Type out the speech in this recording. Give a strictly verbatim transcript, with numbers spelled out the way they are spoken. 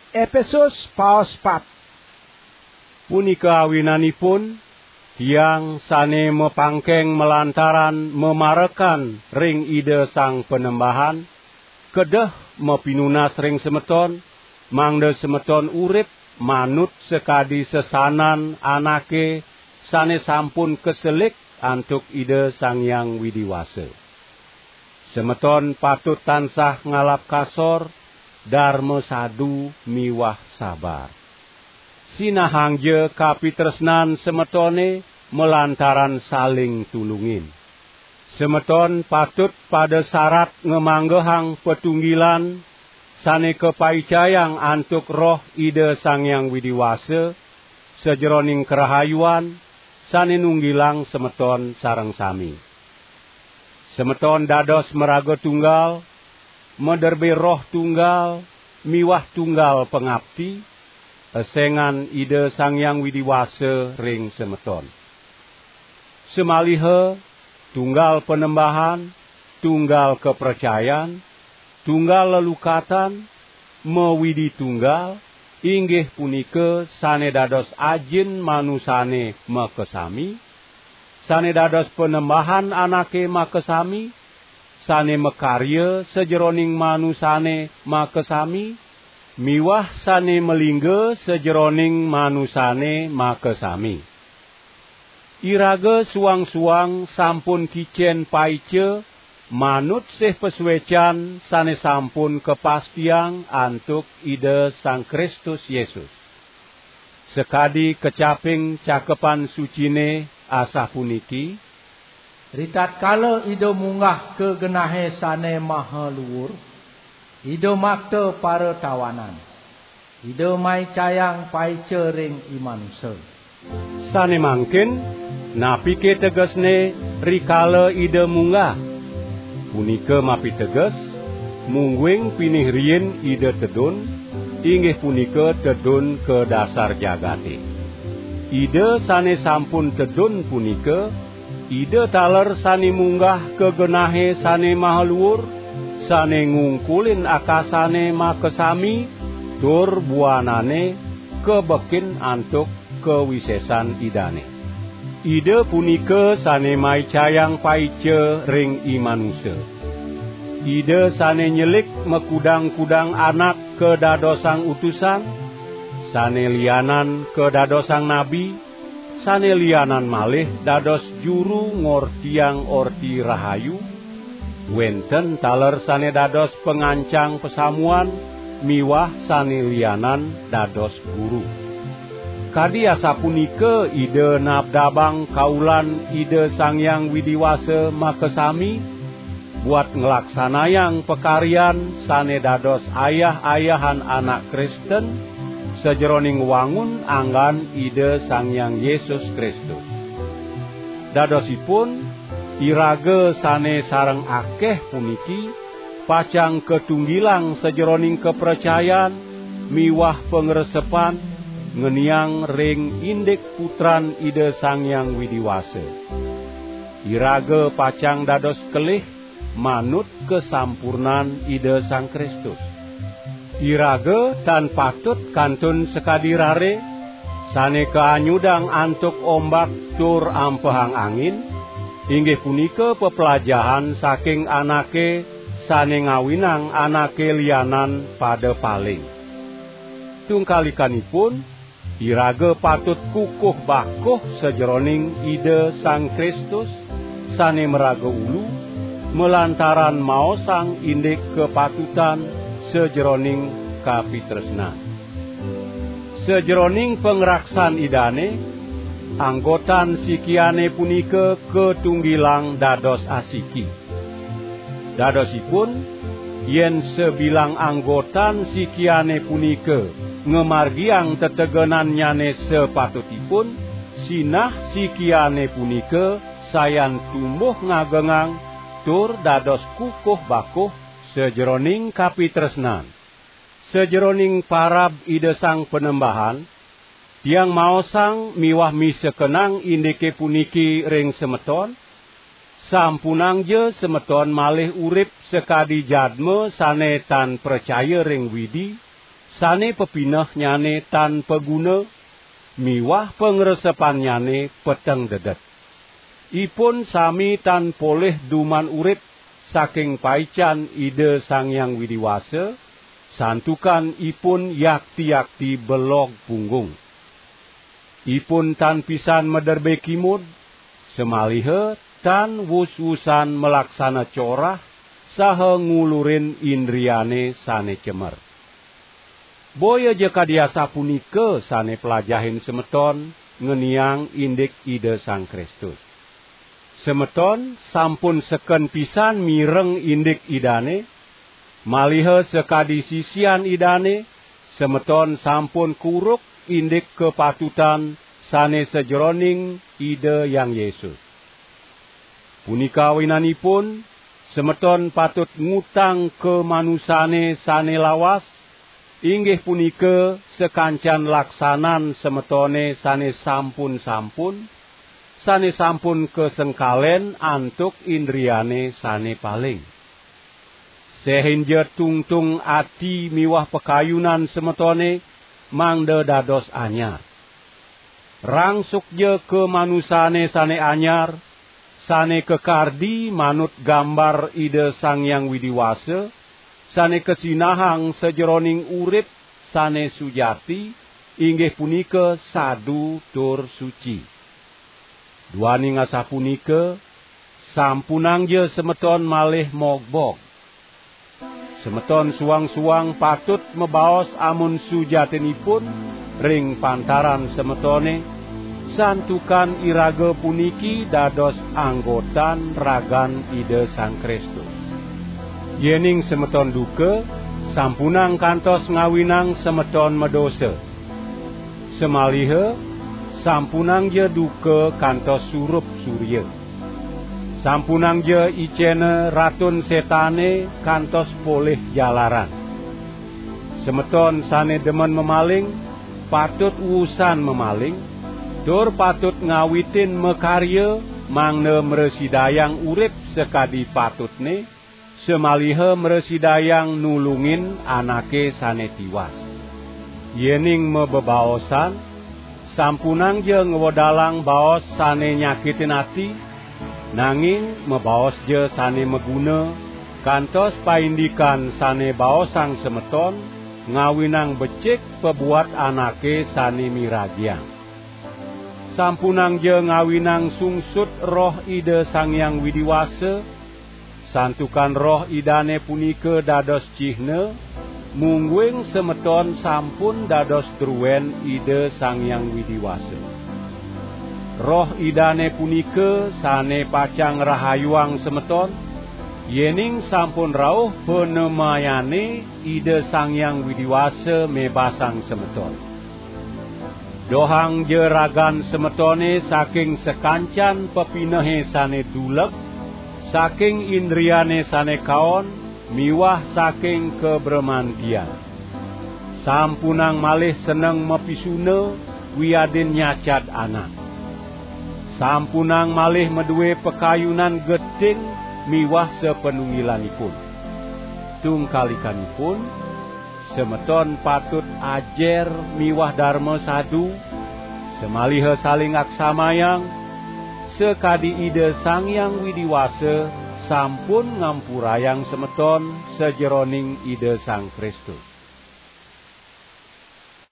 Epesus paos pat. Punika awinanipun, tiang sane mapangkeng malantaran mamarekan ring Ida Sang Panembahan, kedeh mapinunas ring semeton, mangda semeton urip manut sakadi sesanan anake sane sampun kaselik antuk Ida Sang Hyang Widi Wasa. Semeton patut tansah ngalap kasor, darma sadu miwah sabar. Sinahangja kapitresnan semetone malantaran saling tulungin. Semeton patut pada sarat ngamanggehang patunggilan sane kapaicayang antuk Roh Ida Sang Hyang Widi Wasa, sajeroning karahayuan sane nunggilang semeton sareng sami. Semeton dados maraga tunggal, maderbe roh tunggal, miwah tunggal pangapti, esengan Ida Sang Hyang Widi Wasa ring semeton. Samaliha tunggal Panembahan, tunggal kapracayan, tunggal lelukatan, mawidi tunggal, inggih punika sane dados ajin manusane makasami, sane dados Panembahan anake makasami, sane makarya sajeroning manusane makasami, miwah sane malingga sajeroning manusane makasami. Iraga suang-suang sampun kicen paica manut sih pasuecan sane sampun kapastiang antuk Ida Sang Kristus Yesus. Sakadi kecaping Cakepan Sucine asapuniki, "Ritatkala Ida munggah ka genahe sane maha luur, Ida makta paratawanan. Ida maicayang paica ring i manusa." Sane mangkin, napike tegesne rikala Ida munggah? Punika mapiteges, mungguing pinih riin Ida tedun, inggih punika tedun ka dasar jagate. Ida sane sampun tedun punika, Ida taler sane munggah ka genahe sane maha luur, sane ngungkulin akasane makasami, tur buanane kabekin antuk kawisesan Idane. Ida punika sane maicayang paica ring i manusa. Ida sane nyelik makudang-kudang anak kadadosang utusan, sane lianan kadadosang nabi, sane lianan malih dados juru ngortiang Orti Rahayu, wenten taler sane dados pangancang pasamuan miwah sane lianan dados guru. Kadi asapunika Ida nabdabang kaulan Ida Sang Hyang Widi Wasa makasami, buat nglaksanayang pakaryan sane dados ayah-ayahan anak Kristen sajeroning wangun anggan Ida Sang Hyang Yesus Kristus. Dadosipun, iraga sane sareng akeh puniki pacang katunggilang sajeroning kapracayan miwah pangresepan ngeniang ring indik Putran Ida Sang Hyang Widi Wasa. Iraga pacang dados kelih manut kasampurnan Ida Sang Kristus. Iraga tan patut kantun sakadi rare, sane kaanyudang antuk ombak tur ampehang angin, inggih punika peplajahan saking anake sane ngawinang anake lianan pada paling. Tungkalikanipun, iraga patut kukuh bakuh sajeroning Ida Sang Kristus, sane maraga ulu, malantaran maosang indik kapatutan sajeroning kapitresnan. Sajeroning pangraksan Idane, anggotan sikiane punika katunggilang dados asiki. Dadosipun, yen sabilang anggotan sikiane punika ngamargiang tetegenannyane sapatutipun, sinah sikiane punika sayan tumbuh ngagengang tur dados kukuh bakuh sajeroning kapitresnan. Sajeroning parab Ida Sang Panembahan, tiang maosang miwah misekenang indike puniki ring semeton, sampunangja semeton malih urip sakadi jadma sane tan pracaya ring Widi, sane pepinehnyane tan paguna, miwah pangresepannyane peteng dedet. Ipun sami tan polih duman urip saking paican Ida Sang Hyang Widi Wasa, santukan ipun yakti-yakti belog punggung. Ipun tan pisan maderbe kimud, samaliha tan wus-wusan malaksana corah saha ngulurin indriane sane cemer. Boya ja kadi asapunika sane plajahin semeton ngeniang indik Ida Sang Kristus. Semeton sampun seken pisan mireng indik Idane, maliha sakadi sisian Idane, semeton sampun kuruk indik kapatutan sane sajeroning Ida Hyang Yesus. Punika awinanipun, semeton patut ngutang ka manusane sane lawas, inggih punika sakancan laksanan semetone sane sampun-sampun, sane sampun kasengkalen antuk indriane sane paling. Sehinja tungtung ati miwah pakayunan semetone mangda dados anyar. Rangsukja ka manusane sane anyar, sane kakardi manut gambar Ida Sang Hyang Widi Wasa, sane kasinahang sajeroning urip sane sujati, inggih punika sadu tur suci. Duaning asapunika, sampunangja semeton malih mogbog. Semeton suang-suang patut mabaos amun sujatinipun ring pantaran semetone, santukan iraga puniki dados anggotan ragan Ida Sang Kristus. Yening semeton duka, sampunang kantos ngawinang semeton madosa. Samaliha, sampunangja duka kantos surup surya. Sampunangja icena Ratun Setane kantos polih jalaran. Semeton sane demen mamaling, patut wusan mamaling, tur patut ngawitin makarya mangda mrasidayang urip sakadi patutne, samaliha mrasidayang nulungin anake sane tiwas. Yening mabebaosan, sampunangja ngwedalang baos sane nyakitin ati, nanging mabaosja sane maguna, kantos paindikan sane baosang semeton ngawinang becik pabuat anake sane miragiang. Sampunangja ngawinang sungsut Roh Ida Sang Hyang Widi Wasa, santukan Roh Idane punika dados cihna, mungguing semeton sampun dados druen Ida Sang Hyang Widi Wasa. Roh Idane punika sane pacang ngrahayuang semeton, yening sampun rauh panemayane Ida Sang Hyang Widi Wasa mebasang semeton. Dohangja ragan semetone saking sakancan pepinehe sane duleg, saking indriane sane kaon, miwah saking kabremantian. Sampunang malih seneng mapisuna wiadin nyacad anak. Sampunang malih madue pakayunan geting miwah sapanunggilanipun. Tungkalikanipun, semeton patut ajer miwah darma sadu, samaliha saling aksamayang, sakadi Ida Sang Hyang Widi Wasa sampun ngampurayang semeton sajeroning Ida Sang Kristus.